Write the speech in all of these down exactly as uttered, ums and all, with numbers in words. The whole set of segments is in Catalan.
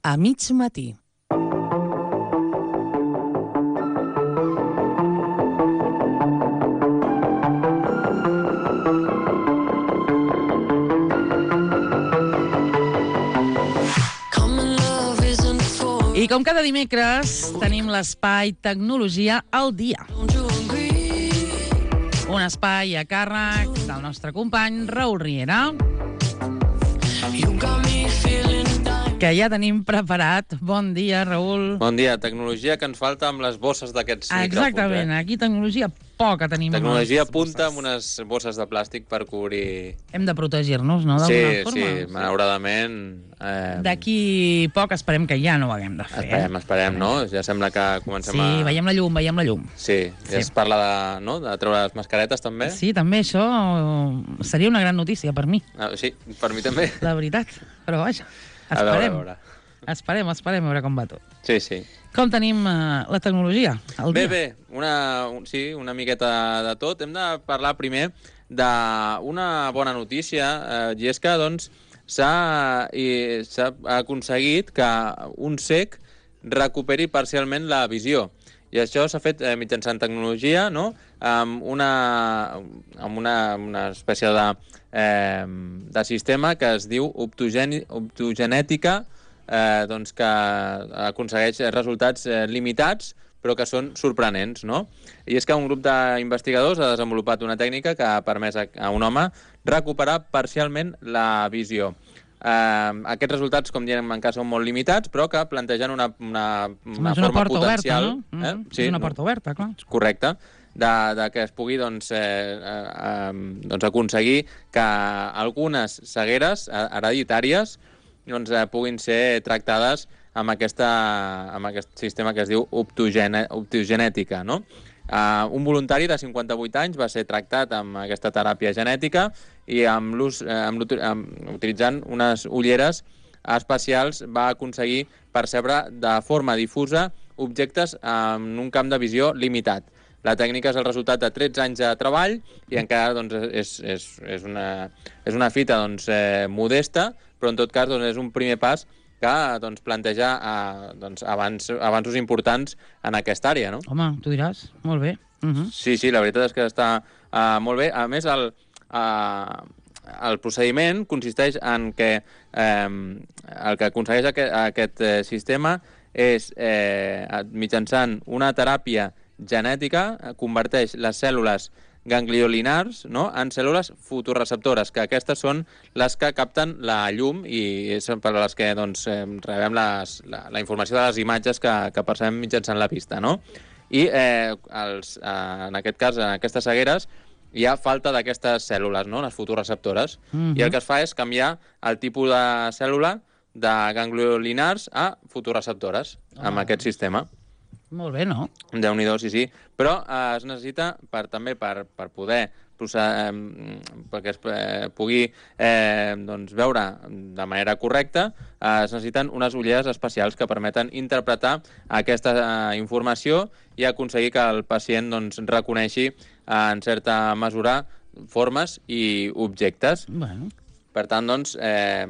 A mig matí. I com cada dimecres tenim l'espai Tecnologia al dia. Un espai a càrrec del nostre company Raül Riera, que ja tenim preparat. Bon dia, Raül. Bon dia. Tecnologia que ens falta amb les bosses d'aquests micròfons. Exactament. Eh? Aquí tecnologia poca tenim. Tecnologia punta amb unes bosses de plàstic per cobrir... Hem de protegir-nos, no? Sí, forma. sí, malauradament... Eh... D'aquí poc esperem que ja no ho haguem de fer. Esperem, esperem, no? Ja sembla que comencem sí, a... Sí, veiem la llum, veiem la llum. Sí, ja sí. Es parla de, no? de treure les mascaretes, també. Sí, també això seria una gran notícia per mi. Ah, sí, per mi també. La veritat, però vaja, esperem. A veure, a veure. Esperem, esperem a veure com va tot. Sí, sí. Com tenim uh, la tecnologia al bé, dia? Bé, bé, una, un, sí, una miqueta de tot. Hem de parlar primer d'una bona notícia, eh, i és que, doncs, s'ha aconseguit que un cec recuperi parcialment la visió. I això s'ha fet eh, mitjançant tecnologia, no?, amb una, amb una, una espècie de, eh, de sistema que es diu optogeni, optogenètica, eh, doncs que aconsegueix resultats eh, limitats, però que són sorprenents, no? I és que un grup d'investigadors ha desenvolupat una tècnica que ha permès a un home recuperar parcialment la visió. Eh, aquests resultats, com diem, encara són molt limitats, però que plantegen una, una, una, una forma potencial... Oberta, no? Mm -hmm. eh? Sí, és una porta oberta, clar. Correcte. De, de que es pugui doncs, eh, eh, doncs aconseguir que algunes cegueres hereditàries doncs, eh, puguin ser tractades amb, aquesta, amb aquest sistema que es diu optogene, optogenètica, no? Uh, un voluntari de cinquanta-vuit anys va ser tractat amb aquesta teràpia genètica i amb l'ús, eh, amb, amb, utilitzant unes ulleres especials va aconseguir percebre de forma difusa objectes en un camp de visió limitat. La tècnica és el resultat de tretze anys de treball i encara doncs, és, és, és, una, és una fita doncs, eh, modesta, però en tot cas doncs, és un primer pas que doncs, planteja eh, doncs, avanç, avanços importants en aquesta àrea, no? Home, tu diràs. Molt bé. Uh -huh. Sí, sí, la veritat és que està uh, molt bé. A més, el, uh, el procediment consisteix en que eh, el que aconsegueix aquest, aquest eh, sistema és, eh, mitjançant una teràpia genètica, converteix les cèl·lules gangliolinars, no?, en cèl·lules fotoreceptores, que aquestes són les que capten la llum i són per les que doncs, rebem les, la, la informació de les imatges que, que percebem mitjançant la vista, no? I eh, els, eh, en aquest cas, en aquestes cegueres, hi ha falta d'aquestes cèl·lules, no?, les fotoreceptores, mm-hmm. i el que es fa és canviar el tipus de cèl·lula de gangliolinars a fotoreceptores oh. amb aquest sistema. Molt bé, no? Déu-n'hi-do, sí, sí. Però eh, es necessita per, també per, per poder processar, eh, perquè es eh, pugui eh, doncs, veure de manera correcta, eh, es necessiten unes ulleres especials que permeten interpretar aquesta eh, informació i aconseguir que el pacient doncs, reconeixi eh, en certa mesura formes i objectes. Bueno. Per tant, doncs, eh,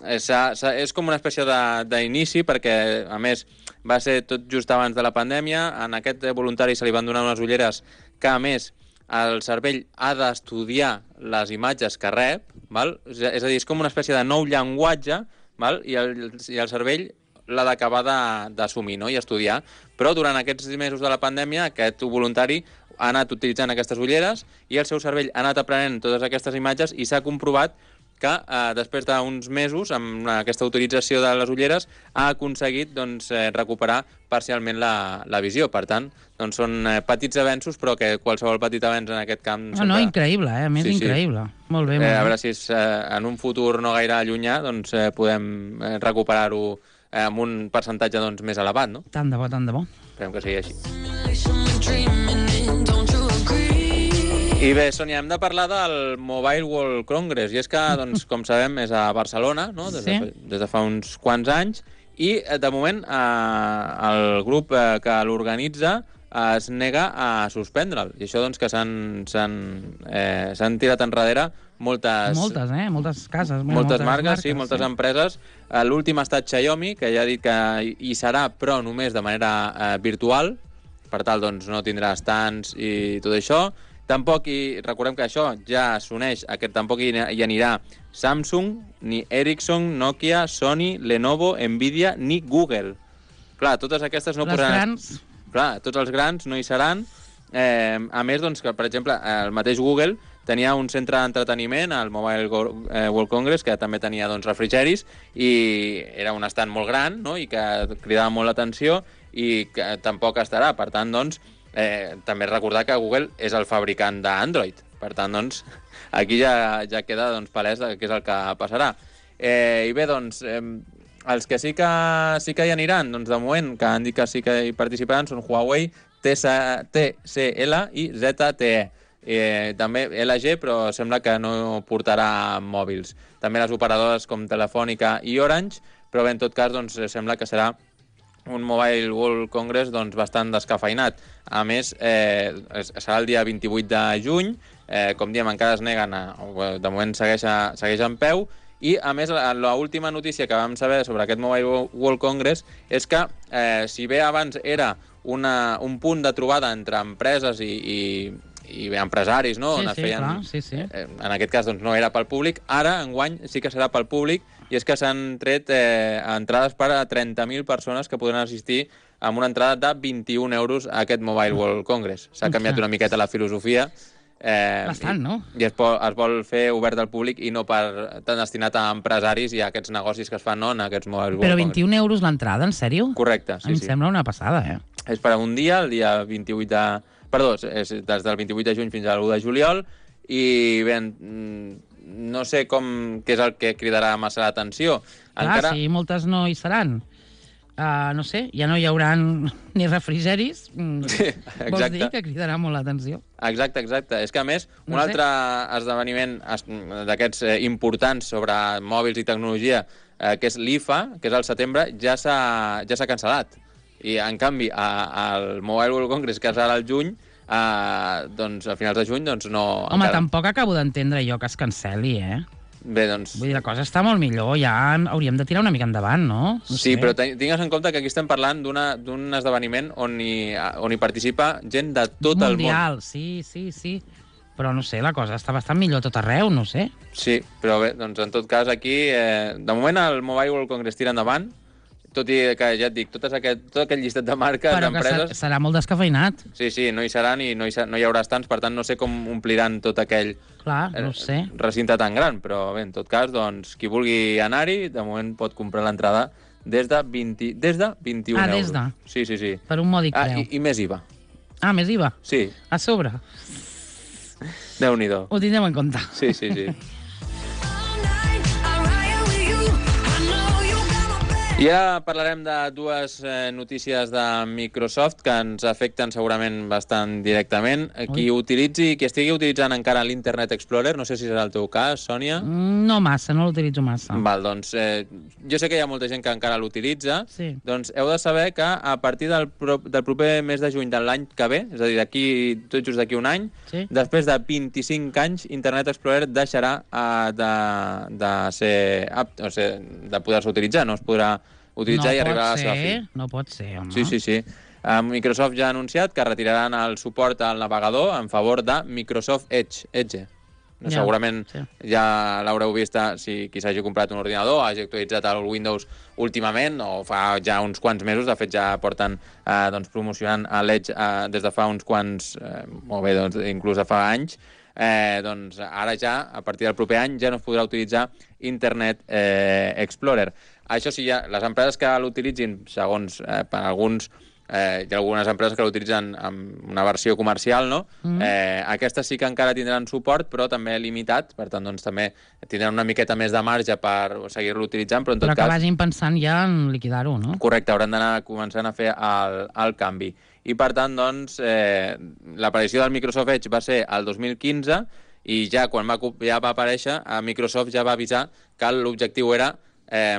és, és com una espècie d'inici perquè, a més, va ser tot just abans de la pandèmia. En aquest voluntari se li van donar unes ulleres que, a més, el cervell ha d'estudiar les imatges que rep, val? És a dir, és com una espècie de nou llenguatge, val? I, el, i el cervell l'ha d'acabar d'assumir, no?, i estudiar. Però durant aquests mesos de la pandèmia, aquest voluntari ha anat utilitzant aquestes ulleres i el seu cervell ha anat aprenent totes aquestes imatges i s'ha comprovat que eh, després d'uns mesos, amb aquesta utilització de les ulleres, ha aconseguit doncs, eh, recuperar parcialment la, la visió. Per tant, doncs, són eh, petits avenços, però que qualsevol petit avenç en aquest camp... No, sempre... no, increïble, eh? A més, sí, increïble. Sí. Molt bé, molt eh, bé. A veure si és, eh, en un futur no gaire llunyà doncs, eh, podem eh, recuperar-ho eh, amb un percentatge doncs, més elevat, no? Tant de bo, tant de bo. Esperem que sigui així. I bé, Sònia, hem de parlar del Mobile World Congress, i és que, doncs, com sabem, és a Barcelona, no?, des de, sí. des de fa uns quants anys, i, de moment, eh, el grup eh, que l'organitza es nega a suspendre'l. I això, doncs, que s'han eh, tirat enrere moltes... Moltes, eh? Moltes cases. Moltes, moltes marques, marques, sí, moltes sí. empreses. L'últim ha estat Xiaomi, que ja ha dit que hi serà, però només de manera eh, virtual. Per tal, doncs, no tindrà stands i tot això. Tampoc, i recordem que això ja s'uneix, a que tampoc hi anirà Samsung, ni Ericsson, Nokia, Sony, Lenovo, Nvidia, ni Google. Clar, totes aquestes no Les posaran... grans... Clar, tots els grans no hi seran. Eh, a més, doncs, que, per exemple, el mateix Google tenia un centre d'entreteniment, el Mobile World Congress, que també tenia doncs, refrigeris, i era un estand molt gran, no?, i que cridava molt l'atenció, i que tampoc estarà. Per tant, doncs, eh, també recordar que Google és el fabricant d'Android. Per tant, doncs, aquí ja, ja queda doncs, palès què és el que passarà. Eh, I bé, doncs, eh, els que sí que, sí que hi aniran, doncs, de moment, que han dit que sí que hi participaran, són Huawei, T C L i Z T E. Eh, també L G, però sembla que no portarà mòbils. També les operadores com Telefònica i Orange, però bé, en tot cas, doncs, sembla que serà un Mobile World Congress doncs, bastant descafeinat. A més, eh, serà el dia vint-i-vuit de juny, eh, com diem, encara es neguen, a, de moment segueix, a, segueix en peu, i a més, l'última notícia que vam saber sobre aquest Mobile World Congress és que, eh, si bé abans era una, un punt de trobada entre empreses i, i i empresaris, no? Sí, on es sí, feien, clar, sí, sí. Eh, en aquest cas doncs, no era pel públic, ara, enguany, sí que serà pel públic, i és que s'han tret eh, entrades per a trenta mil persones que podran assistir amb una entrada de vint-i-un euros a aquest Mobile World Congress. S'ha canviat una miqueta la filosofia. Eh, Bastant, no? I, i es, vol, es vol fer obert al públic i no per tan destinat a empresaris i a aquests negocis que es fan no, en aquests Mobile World Però Congress. vint-i-un euros l'entrada, en sèrio? Correcte, sí, em sí. Em sembla una passada, eh? És per a un dia, el dia vint-i-vuit de... Perdó, és des del vint-i-vuit de juny fins a l'u de juliol, i bé, no sé com, què és el que cridarà massa l'atenció. Clar, Encara... si moltes no hi seran, uh, no sé, ja no hi haurà ni refrigeris, sí, vols dir que cridarà molt l'atenció. Exacte, exacte. És que, a més, un no altre esdeveniment d'aquests eh, importants sobre mòbils i tecnologia, eh, que és l'I F A, que és al setembre, ja s'ha ja s'ha cancel·lat. I, en canvi, al Mobile World Congress, que és ara al juny, eh, doncs, a finals de juny, doncs no... Home, encara... tampoc acabo d'entendre jo que es cancel·li, eh? Bé, doncs... Vull dir, la cosa està molt millor, ja hauríem de tirar una mica endavant, no? no sí, sé. però tingues en compte que aquí estem parlant d'un esdeveniment on hi, on hi participa gent de tot Mundial, el món. Mundial, sí, sí, sí. Però, no sé, la cosa està bastant millor tot arreu, no sé. Sí, però bé, doncs en tot cas aquí, eh, de moment el Mobile World Congress tira endavant, tot i que, ja et dic, tot, aquest, tot aquest llistat de marques, d'empreses... Però que serà molt descafeinat. Sí, sí, no hi seran i no hi, no hi haurà estants, per tant no sé com ompliran tot aquell Clar, no sé. recinte tan gran, però bé, en tot cas, doncs, qui vulgui anar-hi, de moment pot comprar l'entrada des de vint, des de vint-i-un ah, euros. des de? Sí, sí, sí. Per un mòdic ah, preu. I, I més I V A. Ah, més I V A? Sí. A sobre? Déu-n'hi-do. Ho tindrem en compte. Sí, sí, sí. I ara parlarem de dues eh, notícies de Microsoft que ens afecten segurament bastant directament. Qui Ui. utilitzi, qui estigui utilitzant encara l'Internet Explorer, no sé si serà el teu cas, Sònia. No massa, no l'utilitzo massa. Val, doncs eh, jo sé que hi ha molta gent que encara l'utilitza, sí. Doncs heu de saber que a partir del, pro, del proper mes de juny de l'any que ve, és a dir, d'aquí tot just d'aquí un any, sí. Després de vint-i-cinc anys, Internet Explorer deixarà uh, de, de ser apt, o sigui, de poder-se utilitzar, no es podrà utilitzar no i arribar ser, a la seva fi. No pot ser, home. Sí, sí, sí. Uh, Microsoft ja ha anunciat que retiraran el suport al navegador en favor de Microsoft Edge. Edge. Ja, segurament sí. Ja l'haureu vist si qui s'hagi comprat un ordinador, hagi actualitzat el Windows últimament, o fa ja uns quants mesos, de fet ja porten eh, doncs, promocionant l'Edge eh, des de fa uns quants, eh, molt bé, doncs, inclús de fa anys, eh, doncs ara ja, a partir del proper any, ja no es podrà utilitzar Internet eh, Explorer. Això sí, ja, les empreses que l'utilitzin, segons eh, per alguns Eh, hi ha algunes empreses que l'utilitzen amb una versió comercial, no? Mm. Eh, aquestes sí que encara tindran suport, però també limitat, per tant, doncs, també tindran una miqueta més de marge per seguir-lo utilitzant, però en tot però que cas... vagin pensant ja en liquidar-ho, no? Correcte, hauran d'anar començant a fer el, el canvi. I, per tant, doncs, eh, l'aparició del Microsoft Edge va ser el dos mil quinze i ja quan va, ja va aparèixer, a Microsoft ja va avisar que l'objectiu era eh,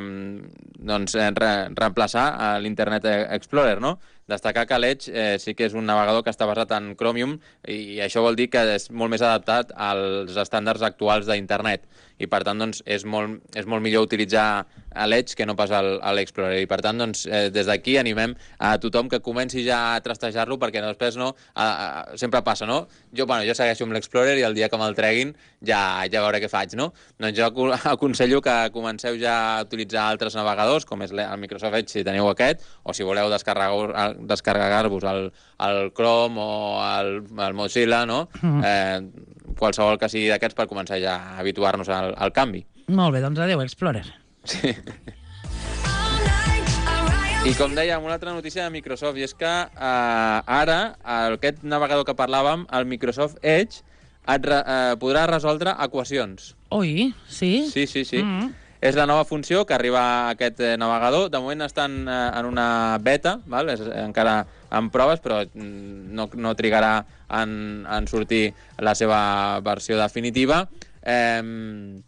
doncs, re, reemplaçar l'Internet Explorer, no? destacar que l'Edge eh, sí que és un navegador que està basat en Chromium i això vol dir que és molt més adaptat als estàndards actuals d'internet i per tant doncs, és, molt, és molt millor utilitzar l'Edge que no pas l'Explorer i per tant doncs, eh, des d'aquí animem a tothom que comenci ja a trastejar-lo perquè després no, a, a, sempre passa, no? Jo, bueno, jo segueixo amb l'Explorer i el dia que me'l treguin ja, ja veuré què faig, no? Doncs jo aconsello que comenceu ja a utilitzar altres navegadors com és el Microsoft Edge si teniu aquest o si voleu descarregar-vos descarregar-vos el, el Chrome o el, el Mozilla, no? Mm. Eh, qualsevol que sigui d'aquests per començar ja a habituar-nos al, al canvi. Molt bé, doncs adéu, Explorer. Sí. I com dèiem, una altra notícia de Microsoft, i és que eh, ara aquest navegador que parlàvem, el Microsoft Edge, et re, eh, podrà resoldre equacions. Oi, sí? Sí, sí, sí. Mm -hmm. És la nova funció que arriba a aquest eh, navegador. De moment estan eh, en una beta, val? És, eh, encara en proves, però no, no trigarà en, en sortir la seva versió definitiva. Eh,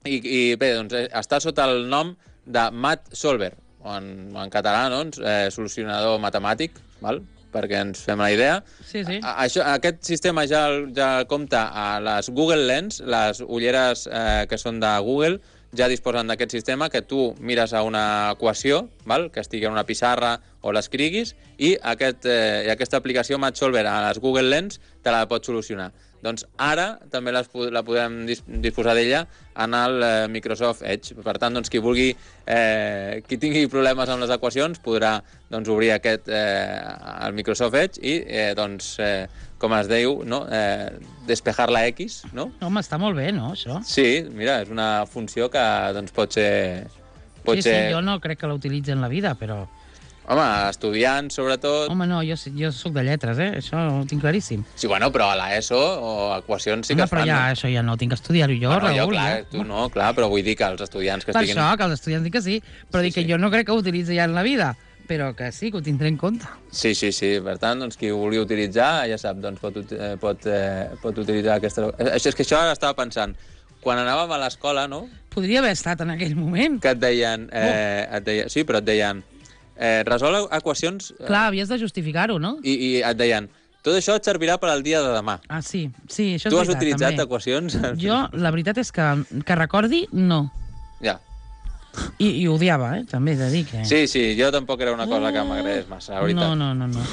i, I bé, doncs, eh, està sota el nom de Mat Solver, o en, en català, doncs, eh, solucionador matemàtic, val? Perquè ens fem la idea. Sí, sí. A, això, aquest sistema ja, ja compta a les Google Lens, les ulleres eh, que són de Google, ja disposen d'aquest sistema que tu mires a una equació, val? Que estigui en una pissarra o l'escriguis, i, aquest, eh, i aquesta aplicació MathSolver a les Google Lens te la pot solucionar. Doncs ara també les, la podem dis, disposar d'ella en el eh, Microsoft Edge. Per tant, doncs, qui vulgui, eh, qui tingui problemes amb les equacions podrà doncs, obrir aquest, eh, el Microsoft Edge i, eh, doncs, eh, com es diu, no? eh, despejar la X, no? Home, està molt bé, no, això? Sí, mira, és una funció que doncs, pot ser... Pot sí, ser... sí, jo no crec que la utilitzi en la vida, però... Home, estudiants, sobretot... Home, no, jo, jo soc de lletres, eh? Això ho tinc claríssim. Sí, bueno, però a l'ESO o equacions sí que Home, es fan. però ja, no? això ja no tinc que estudiar-ho jo, bueno, Raül. Jo, clar, ja. tu no, clar, però vull dir que els estudiants que per estiguin... Per això, que els estudiants dic que sí, però sí, dic que sí. jo no crec que ho utilitzi ja en la vida, però que sí, que ho tindré en compte. Sí, sí, sí. Per tant, doncs, qui ho vulgui utilitzar, ja sap, doncs, pot, eh, pot, eh, pot utilitzar aquesta... Això és que això estava pensant. Quan anàvem a l'escola, no? Podria haver estat en aquell moment. Que et deien... Eh, et deien sí, però et deien... Eh, resol equacions... Eh, Clar, havies de justificar-ho, no? I, I et deien... Tot això et servirà per al dia de demà. Ah, sí, sí, això és tu has veritat, utilitzat també. equacions? Jo, la veritat és que, que recordi, no. Ja. I, i odiava, eh? També he de dir que... Sí, sí, jo tampoc era una cosa que m'agradés massa, la veritat. No, no, no, no.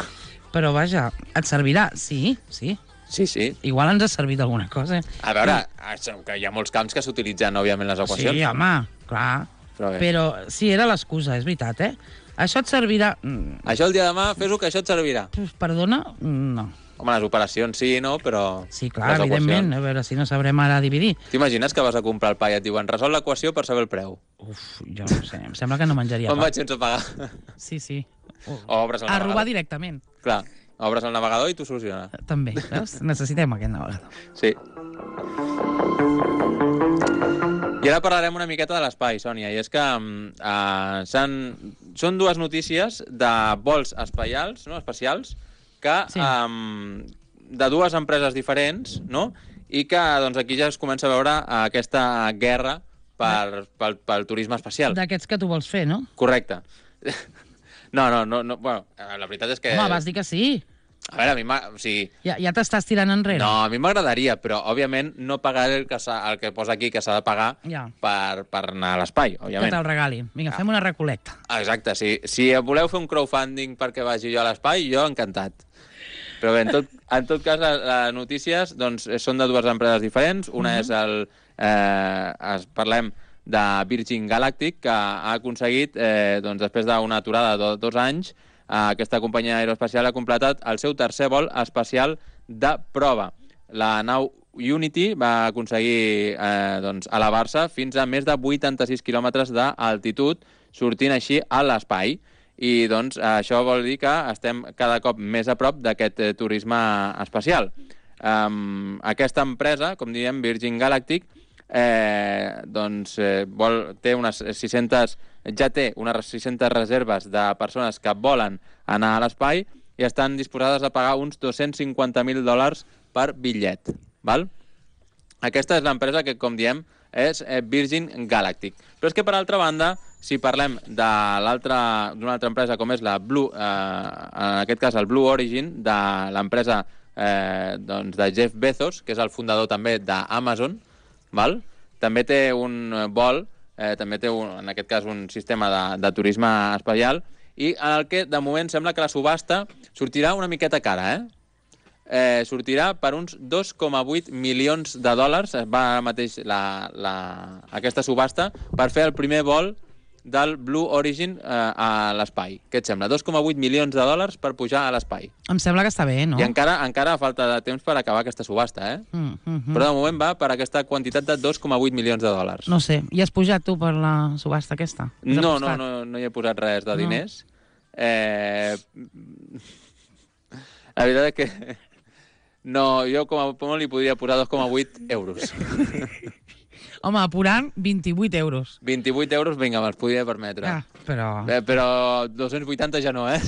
Però vaja, et servirà? Sí, sí. Sí, sí. Igual ens ha servit alguna cosa. Eh? A veure, que hi ha molts camps que s'utilitzen, òbviament, les equacions. Sí, home, clar. Però, Però sí, era l'excusa, és veritat, eh? Això et servirà... Això el dia de demà, fes-ho, que això et servirà. Perdona? No. Home, les operacions sí, no? Però... Sí, clar, evidentment. A veure si no sabrem ara dividir. T'imagines que vas a comprar el pa i et diuen resol l'equació per saber el preu? Uf, jo no sé. Em sembla que no menjaria pa. On vaig sense pagar? Sí, sí. O obres el a navegador. robar directament. Clar, obres el navegador i t'ho soluciona. També, veus? Necessitem aquest navegador. Sí. I ara parlarem una miqueta de l'espai, Sònia, i és que uh, són dues notícies de vols espacials, no? espacials que sí. um, de dues empreses diferents, no? I que doncs, aquí ja es comença a veure uh, aquesta guerra per, pel, pel turisme espacial. D'aquests que tu vols fer, no? Correcte. No, no, no, no, bueno, la veritat és que... Home, vas dir que sí. A veure, a mi o sigui... Ja, ja t'estàs tirant enrere. No, a mi m'agradaria, però, òbviament, no pagaré el que, el que posa aquí que s'ha de pagar ja. per, per anar a l'espai, òbviament. Que te'l regalin. Vinga, ah. fem una recolecta. Exacte, si, si voleu fer un crowdfunding perquè vagi jo a l'espai, jo encantat. Però bé, en tot, en tot cas, les, les notícies doncs, són de dues empreses diferents. Una mm-hmm. és el... Eh, es, parlem de Virgin Galactic, que ha aconseguit, eh, doncs, després d'una aturada de dos anys, aquesta companyia aeroespacial ha completat el seu tercer vol espacial de prova. La nau Unity va aconseguir eh, doncs, elevar-se fins a més de vuitanta-sis quilòmetres d'altitud, sortint així a l'espai. I doncs, això vol dir que estem cada cop més a prop d'aquest eh, turisme espacial. Um, aquesta empresa, com diem, Virgin Galactic, eh, doncs, eh, vol, té unes sis-centes... ja té unes sis-centes reserves de persones que volen anar a l'espai i estan disposades a pagar uns dos-cents cinquanta mil dòlars per bitllet. Val? Aquesta és l'empresa que, com diem, és Virgin Galactic. Però és que, per altra banda, si parlem de l'altra d'una altra empresa com és la Blue, eh, en aquest cas el Blue Origin, de l'empresa eh, doncs de Jeff Bezos, que és el fundador també d'Amazon, val? També té un vol, eh, també té un, en aquest cas un sistema de, de turisme espacial, i en el que de moment sembla que la subhasta sortirà una miqueta cara, eh? Eh, sortirà per uns dos coma vuit milions de dòlars, va ara mateix la, la, aquesta subhasta, per fer el primer vol del Blue Origin eh, a l'espai. Què et sembla? dos coma vuit milions de dòlars per pujar a l'espai. Em sembla que està bé, no? I encara, encara falta de temps per acabar aquesta subhasta, eh? Mm, mm, mm. Però de moment va per aquesta quantitat de dos coma vuit milions de dòlars. No sé, hi has pujat tu per la subhasta aquesta? No, no, no, no hi he posat res de diners. No. Eh... La veritat és que... No, jo com a molt li podria posar dos coma vuit euros. Home, apurant, vint-i-vuit euros. vint-i-vuit euros, vinga, me'ls podria permetre. Ah, però... Eh, però dos-cents vuitanta ja no, eh?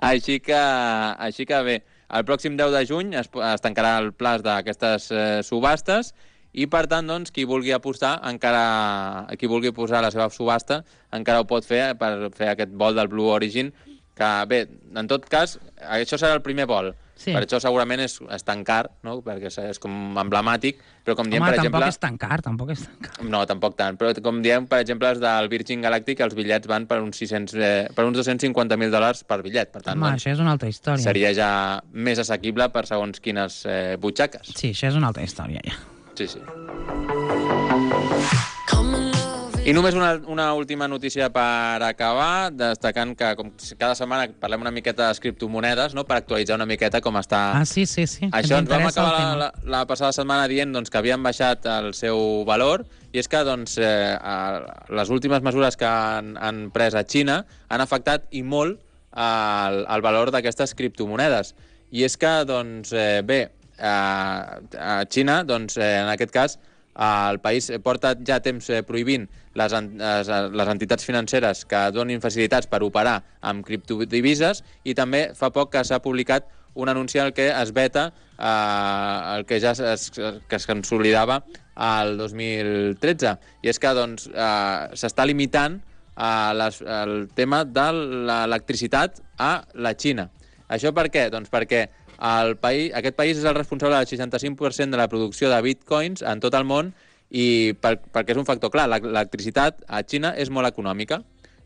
així, que, així que bé, el pròxim deu de juny es, es tancarà el plaç d'aquestes eh, subhastes i, per tant, doncs, qui vulgui apostar, encara, qui vulgui posar la seva subhasta, encara ho pot fer per fer aquest vol del Blue Origin, que, bé, en tot cas, això serà el primer vol. Sí. Per això segurament és, és tan car, no? Perquè és com emblemàtic, però com diem, Home, per exemple... tampoc és tan car, tampoc és tan car. No, tampoc tant, però com diem, per exemple, els del Virgin Galactic, els bitllets van per uns, sis cents, eh, per uns dos-cents cinquanta mil dòlars per bitllet, per tant, Home, doncs, això és una altra història. Seria ja més assequible per segons quines eh, butxaques. Sí, això és una altra història, ja. Sí, sí. I només una, una última notícia per acabar, destacant que com cada setmana parlem una miqueta de criptomonedes, no?, per actualitzar una miqueta com està... Ah, sí, sí, sí. Això ens vam acabar la, la, la passada setmana dient doncs, que havien baixat el seu valor, i és que doncs, eh, les últimes mesures que han, han pres a Xina han afectat i molt el, el valor d'aquestes criptomonedes. I és que, doncs, eh, bé, a, a Xina, doncs, eh, en aquest cas, el país porta ja temps prohibint les, les, les entitats financeres que donin facilitats per operar amb criptodivises, i també fa poc que s'ha publicat un anunci en què es veta eh, el que ja es, que es consolidava el dos mil tretze. I és que doncs, eh, s'està limitant eh, les, el tema de l'electricitat a la Xina. Això per què? Doncs perquè el país, aquest país és el responsable del seixanta-cinc per cent de la producció de bitcoins en tot el món, i per, perquè és un factor clar, l'electricitat a Xina és molt econòmica.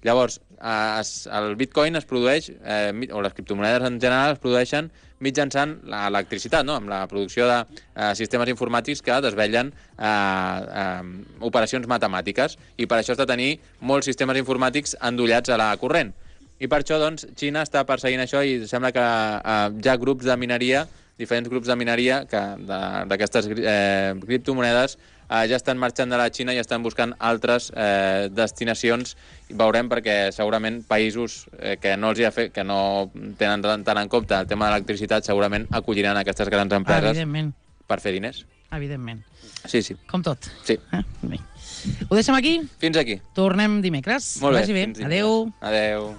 Llavors, es, el bitcoin es produeix, eh, o les criptomonedes en general es produeixen mitjançant l'electricitat, no?, amb la producció de eh, sistemes informàtics que desvetllen eh, eh, operacions matemàtiques, i per això has de tenir molts sistemes informàtics endollats a la corrent. I per això, doncs, Xina està perseguint això, i sembla que eh, hi ha grups de mineria, diferents grups de mineria d'aquestes eh, criptomonedes eh, ja estan marxant de la Xina i estan buscant altres eh, destinacions. I veurem, perquè segurament països eh, que no els hi ha fet, que no tenen tant en compte el tema de l'electricitat, segurament acolliran aquestes grans empreses per fer diners. Evidentment. Sí, sí. Com tot. Sí. Eh? Bé. Ho deixem aquí? Fins aquí. Tornem dimecres. Molt bé. Vagi bé. Adéu. Adéu.